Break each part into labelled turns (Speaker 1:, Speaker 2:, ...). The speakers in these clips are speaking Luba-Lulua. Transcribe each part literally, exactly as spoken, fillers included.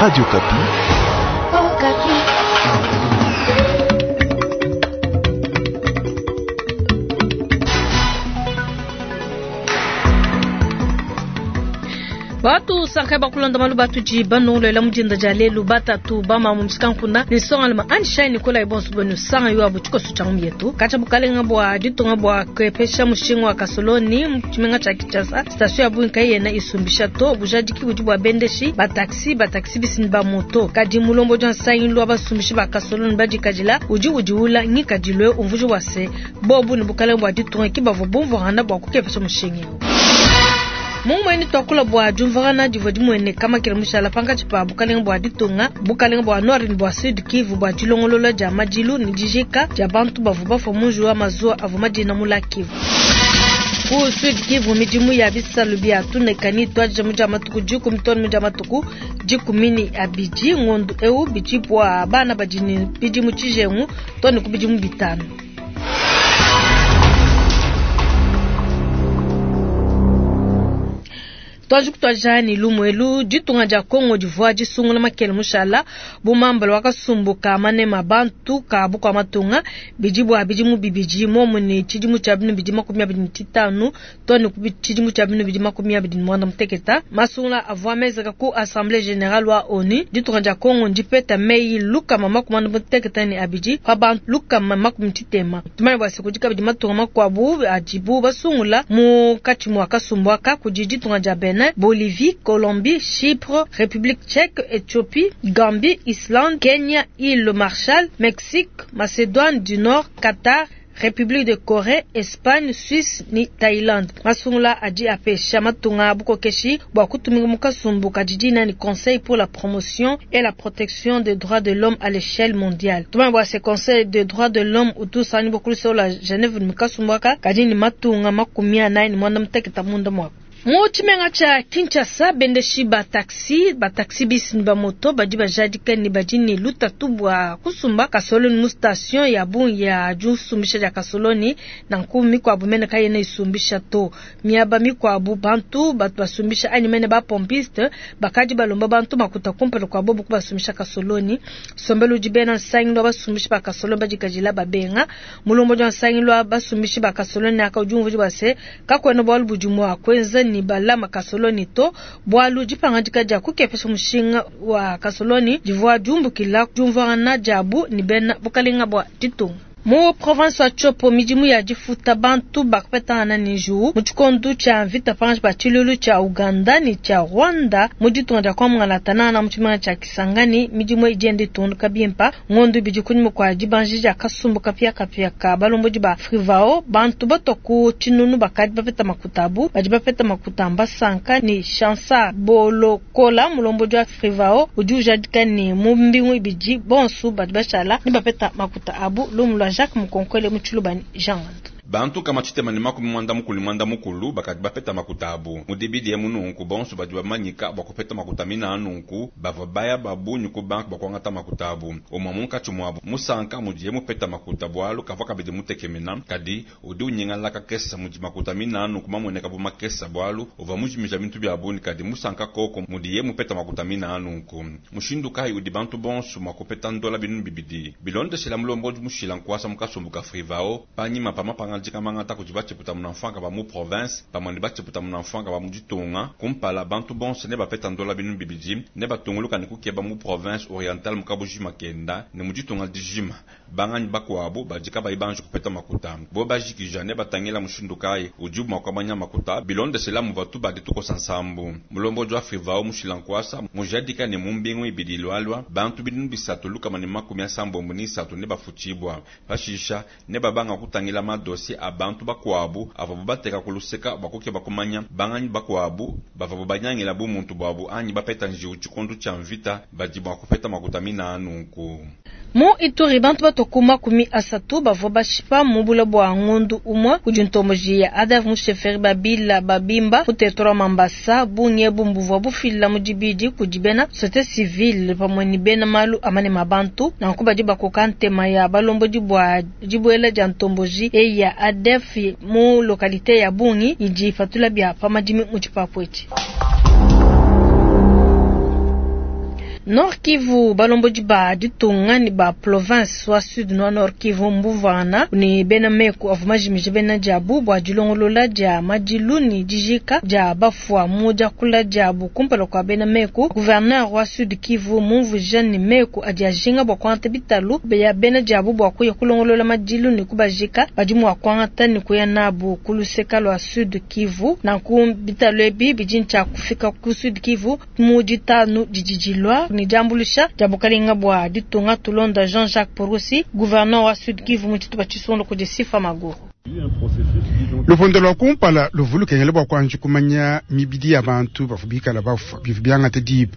Speaker 1: Radio Okapi.
Speaker 2: Oh,
Speaker 3: Batu sanka bakulonda malu batudi banongolola mudinda dia lelu batatu bamamu musikankunda ne nsongaluma anishai nikolai bonso benu sanga yo abu tshikoso tshia ngumietu katshia bukalenga bua ditunga bua kuepesha mushinga wa kasoloni mu tshimenga tshia Kinshasa station ya bungi kayena isumbisha to bujadiki budi bua bendeshi ba taxi ba taxi bisi ne ba moto kadi mulombodi wa nsangilu wa basumbishi ba kasoloni badikadila udi udiula ngikadilu umvuji wa se bobu ne bukalenga bua ditunga ki bavua bumvuangana bua kukepesha mushinga eu. Mumweni twakula bua diumvuangana divua dimueneka makela mushala pankatshi pa bukalenga bua ditunga bukalenga bua nord ne bua sud Kivu bua dilongolola dia madilu ne dijika dia bantu bavua bafua mu njiwu wa mazuwa avua madina mu lac Kivu. Ku sud Kivu midimu ya bisalu bia tunekani tuadija mu dia matuku dikumi too ne mu dia matuku dikumi ne abidi ngondu eu bidi bua bana badi ne bidimu tshijengu too ne ku bidimu bitanu. Twaji kutwaja ni lumu ditunga dia Kongo divua disungula makele mushala bumambala wakasumbuka manema bantu ka bukua matunga bidi bua bidimu bibidi momu ne tshidimu tshia binu bidi makumi abidi ne tshitanu to ne ku tshidimu tshia binu bidi makumi abidi ne muanda muteketa masungula avua menzeka ku Assemblée Générale wa ONU ditunga dia Kongo ndipeta meyi lukama makumi muanda muteketa ne abidi pa bantu lukama makumi tshitema tumanye bua se kudi kabidi matunga makuabu adibu basungula munkatshi mua kasumbu aka kudi ditunga dia Benin, Bolivie, Colombie, Chypre, République tchèque, Éthiopie, Gambie, Islande, Kenya, îles Marshall, Mexique, Macédoine du Nord, Qatar, République de Corée, Espagne, Suisse ni Thaïlande. Masungula adi apesha matunga bukokeshi bua kutumika mu kasumbu kadidina ni Conseil pour la promotion et la protection des droits de l'homme à l'échelle mondiale. Tumanye bua se Conseil des droits de l'homme utusani bokulusa la Genève ni kasumbu aka kadi ni matunga makumi anayi ni muanda muteketa munda muaku. Mu tshimenga tshia Kinshasa bendeshi ba taxi ba taxi bisi ne ba moto badi bajadika ne badi ne lutatu bua kusumba kasoloni mu station ya bungi ya disumbisha dia kasoloni nanku mikuabu mene kayena isumbisha to miaba mikuabu bantu batu basumbisha anyi mene ba pompiste bakadi balomba bantu makuta kumpala kua bobu kubasumbisha kasoloni sombelu udi bena nsangilu wa basumbishi ba kasoloni badikadila babenga mulombodi wa nsangilu wa basumbishi ba kasoloni aka udi umvuija bua se kakuena bualu budi mua kuenza ni balama kasoloni to bualu dipangadika dia kukepesha mushinga wa kasoloni divua diumbukila diumvuangana diabu ni bena bukalenga bua ditunga. Mu province wa Tshopo midimu ya difuta bantu bakapetangana ne njiwu mu tshikondo tshia mvita pankatshi pa tshilulu tshia Uganda ne tshia Rwanda mu ditunga dia Kwamangala mu tshimenga tshia Kisangani midimu idi yenda itunduka bimpa ngondo ibidi kunyima kua dibanji dia kasumbu kapiakapia ka balombodi ba Frivao bantu batua ku tshinunu bakadi bapeta makuta abu badi bapeta makuta mbasanka ne Chansa Bolokola mulombodi wa Frivao udi ujadika ne mu mbingu ibidi bonso badi bashala ne bapeta makuta abu lumu lua Jacques Mukonkole mu Tshilubani Jean.
Speaker 4: Bantu kama tshitema ne makumi muanda mukulu muanda mukulu bakadi bapeta makuta abu mudibidi emu nunku bonso badi bamanyika bua kupeta makuta mina nunku bavua baya babunyi ku banque bua kuangata makuta abu umue munkatshi muabu musanka mudiye mupeta makuta bualu kavua kabidi mutekemena kadi udi unyingala kakesa mudi makuta mina nunku mamueneka bu makesa bualu uvua mujimija bintu bia bungi kadi musanka koko mudiye mupeta makuta mina nunku mushindu kayi udi bantu bonso mua kupeta ndola binunu bibidi bilondeshela mulombodi mushila nkuasa mukasumbu ka Frivao panyima pa mapanga dikamangata kudi batshiputa munamfanga ba mu province pamue ne batshiputa munamfanga ba mu ditunga kumpala bantu bonso ne bapeta ndola binu bibidi ne batunguluka ne kukeba mu province orientale mu kabujima kenda ne mu ditunga dijima banganyi bakuabu badi kabayi banji kupeta makuta bo bajikija ne batangila mushindu kayi udi mua kuamanya makuta bilondeshela muvua tubadi tukosa nsambu mulombodi wa Frivao mushila nkuasa mujadika ne mu mbingu ibidi ilualua bantu binunu bisatu lukama ne makumi asambombo ne isatu ne bafutshibua pashisha ne babanga kutangila madosie a bantu bakuabu avua bateka kuluseka bua kumanya banganyi bakuabu bavua banyangila bu muntu buabu anyi bapeta njiwu tshikondo tshia mvita badi mua kupeta makuta mina nunku.
Speaker 3: Mu Ituri bantu batua makumi asatu bavua bashipa mu bula bua ngondu umue kudi ntomboji ya A D F mu chefferie Babila Babimba mu territoire wa Mambasa bungi ebu buvua bufila mu dibidi kudi bena société civile pamue ne bena malu amane ma bantu nanku badi bakoka ntema ya balombodi bua dibuela dia ntomboji eyi ya A D F mu localité ya Bungi idi ipatula bia pa madimi mu tshipapu etshi. Nord Kivu, balombodi ba ditunga ne ba province wa Sud wa Nord Kivu mbumvuangana ne bena meku avua majimije bena diabu bua dilongolola dia madilu ne dijika dia bafua mu diakula diabu kumpala kua bena meku. Gouverneur wa Sud Kivu mumvuija ne meku adi ajinga bua kuangata bitalu bia bena diabu bua kuya kulongolola madilu ne kubajika badi mua kuangata ne kuya nabu ku luseka lua Sud Kivu. Nanku bitalu ebi bidi ntshia kufika ku Sud Kivu mu ditanu didi dilua ne diambuluisha dia bukalenga bua ditunga. Tulonda Jean-Jacques Purusi, gouverneur wa Sud Kivu mu tshitupa tshisongo kudi Sifa Maguru.
Speaker 1: Lupondo lwa kumpala luvulukengele bua kuanji kumanya mibidi ya bantu bavua bikala bafua bivua biangata diba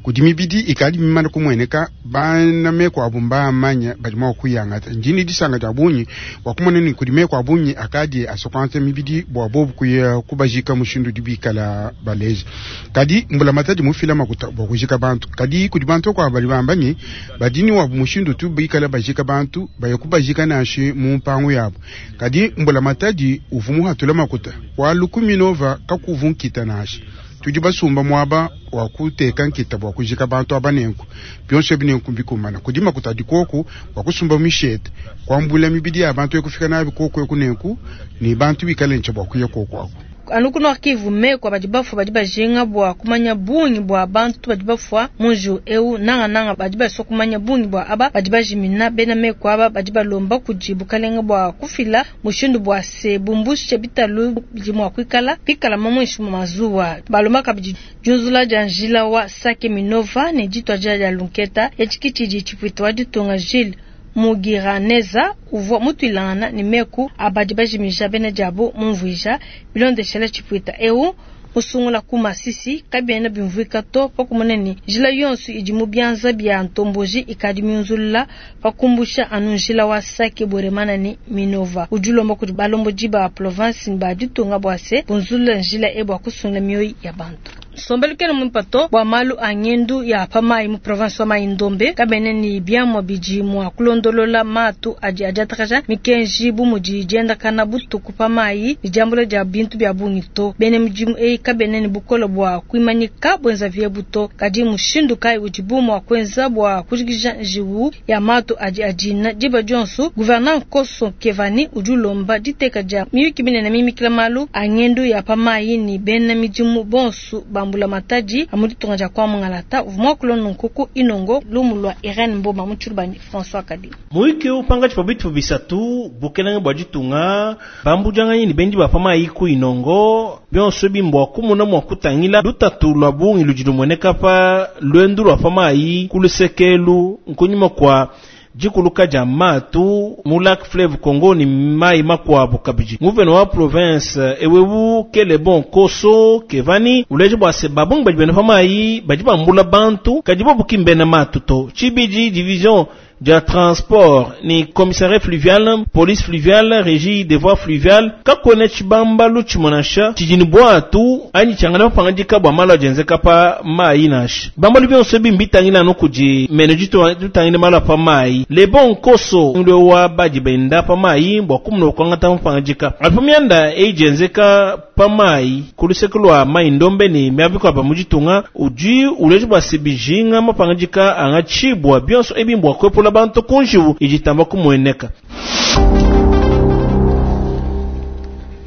Speaker 1: kudi mibidi ikadi mimane kumueneka bana meku abu mbamanya badi mua kuyangata ndini disanga dia bungi bua kumona ni kudi meku abungi akadi asokwanta mibidi bua bobu kuya kubajika mushindu udi bikala baleja kadi mbula matadi mufila makuta bua kujika bantu kadi kudi bantu kwa bali bambanyi badini wabu mushindu tu bikala bajika bantu baya kubajika nashi mu mpangu yabo kadi mbula matadi uvumu hatula makuta wa lukumi nova kakuvunkita nashi tudi basumba mwaba wa kuteka nkita bua kujika bantu abanenku byonso binenku bikumana kudi makuta dikoku wa kusumba mishete kwambula mibidi ya bantu ekufika nabi koku ekunenku ni bantu bikale nche bua kuya koku ako
Speaker 3: anu ku Nord Kivu meku badi bafua badi bajinga bua kumanya bungi bua bantu badi bafua munju eu nanga nanga badi basua kumanya bungi bua aba badi bajimina bena meku aba badi balomba kudi bukalenga bua kufila mushindu bua se bumbushe bitalu bidi mua kuikala pikala mamwishi mu mazuwa balomba kabidi junzula dia njila wa Sake Minova ne ditwa dia Lunketa etshikitshidi tshipwita wa ditunga Gilles Mugiraneza uvua mutuilangana ne meku abadi bajimija bena diabo mumvuija bilondeshela tshipwita eu musungula ku Masisi kabiena bimvuika to pakumona ne njila yonso idi mu bianza bia ntomboji ikadi miunzulula pakumbusha anu njila wa Sake Bweremana ne Minova udi ulomba kudi balombodi ba province ba ditunga bua se bunzulula njila e bua kusungula mioyo ya bantu. Sombelu kena mwimpato bua malu a ngendu ya pamayi mu province wa Mai-Ndombe kabene ni biamwa bidi mua kulondolola matu adi adiatakaja mikenji bu mudi diendakana butuku pamayi ni diambula dia bintu bia bungi to bene mudimu eyi kabene ni bukole bua kuimanyika bwenza vyebu to kadi mushindu kayi udibu mua kuenza bua kujikija njiwu ya matu adi adina diba dionso. Gouverneur Nkoso Kevani udi ulomba diteka dia miyuki binene mimikila malu a ngendu ya pamayi ni bena midimu bonso bambula matadi amuditunga dia kwa mungalata uvuma kulonu nkuku inongo lumu lwa Irene Mboma mutshulubani François Kadi
Speaker 5: Muike upanga chipa bitu bisatu bukelenge bwa ditunga bambujanga ni bendi ba pamayi ku inongo byonso bimbwa kumuna mwa kutangila lutatu lwa bungi lujilumweneka pa lwendu lwa pamayi kulusekelu nkunyuma kwa jikuluka ja matu mu lac fleuve Congo ni mai makwabu kabiji nguveno wa province ewewu kele bon koso kevani uleje bwa se babungi badi bena pamayi badi bambula bantu kadi bobu kimbena matu to chibiji division dia transport ni commissariat fluvial police fluviale régie des voies fluviales kakone chibambalu chimonasha chijini bwatu anyi changana pangandika bwa malo jenzeka pa mai nasha bambalu byonso bimbitangila no kuji mene jitu tutangile malo pa mai le bon koso ngwe wa baji benda pa mai bwa kumno kwangata pangandika alipomyanda ejenzeka pa mai kulusekelo mai ndombe ni myabiko pa mujitunga uji uleje bwa sibijinga mapangandika anga chibwa byonso ebimbwa kwepola bantu kunjiwu ijitamba kumweneka.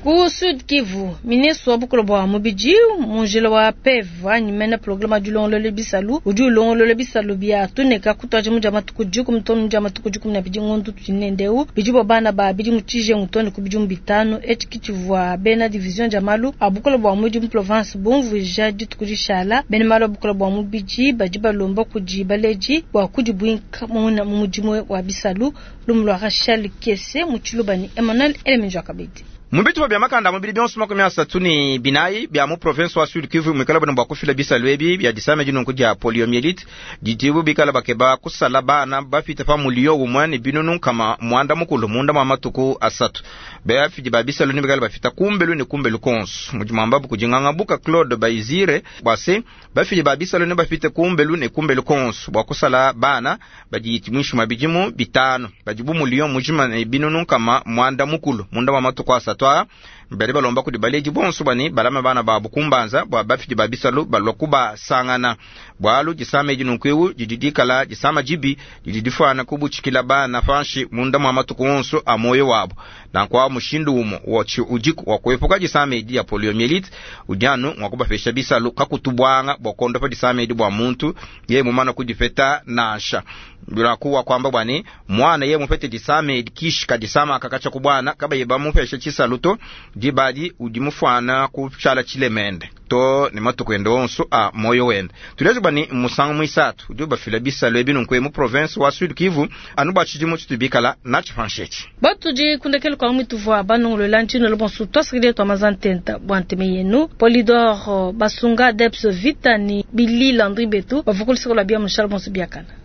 Speaker 3: Ku Sud Kivu, ministre wa bukolo bwa mubidi munjila wa P E V anyimena programa du longolole bisalu udi ulongolole bisalu bia tuneka kutwaje muja matuku juku mutonu muja matuku juku na bidi ngondu tunendeu bidi bo bana ba bidi mutije ngutone ku bidi bitanu etikitivwa bena division ja malu abukolo bwa mubidi mu province bomvuja ditukudishala bena malu abukolo bwa mubidi badi balomba kudi baleji bwa kudi bwinka muna mu mudimu wa bisalu lumulwa Rachel Kese mutshilubani Emmanuel Eleminjwa Kabedi.
Speaker 6: Mubitu bya makanda mubili byonso makumi asatu ni binayi bya mu province wa Sud Kivu mwikala bano bwakufila bisalu ebi bya disame dinunku dia poliomyelite didibu bikala bakeba kusala bana bafita pa mulio umwe ni binunu kama mwanda mukulu munda mwa matuku asatu bafidi ba bisalu ni bikala bafita kumbelu ni kumbelu konso mujimamba bukujinganga buka Claude Baizire bwase bafidi ba bisalu ni bafita kumbelu ni kumbelu konso bwakusala bana badi mwishu mabijimu bitano bajibu mulio mujima ni binunu kama mwanda mukulu munda mwa matuku asatu. asatu aa badi balomba kudi baledi bonso bua ne balama bana babu kumbanza bua bafidi ba bisalu balua kubasangana. Bualu disama edi nunku eu didi dikala disama dibi didi difuana kubutshikila bana panshi munda mua matuku onso a muoyo wabu. Nanku awu mushindu umue wa udiku wa kuepuka disama edi dia poliomyelite udi anu mua kubapesha bisalu kakutu buanga bua kuondopa disama edi bua muntu yeye mumana kudipeta nansha. Nanku wa kuamba bua ne mwana yeye mupete disama edi kishi kadisama akakatsha ku bwana kabayi bamupesha tshisalu to dibadi udi mufuana kushala tshilemende to ne matuku ende onso a moyo wende. Tuleje bua ne musangu muisatu udi ubafila bisalu ebi nunku mu province wa Sud Kivu anu bua tshidimu tshitubikala natshi panshi.
Speaker 3: Batudi kundekele kwa mituvua banongolola ntshino bonso twasakile twa mazantenta bua nteme yenu Polydor Basunga Deps Vita ni Billy Landry Betu bavukulisako la bia mushal bonso biakana.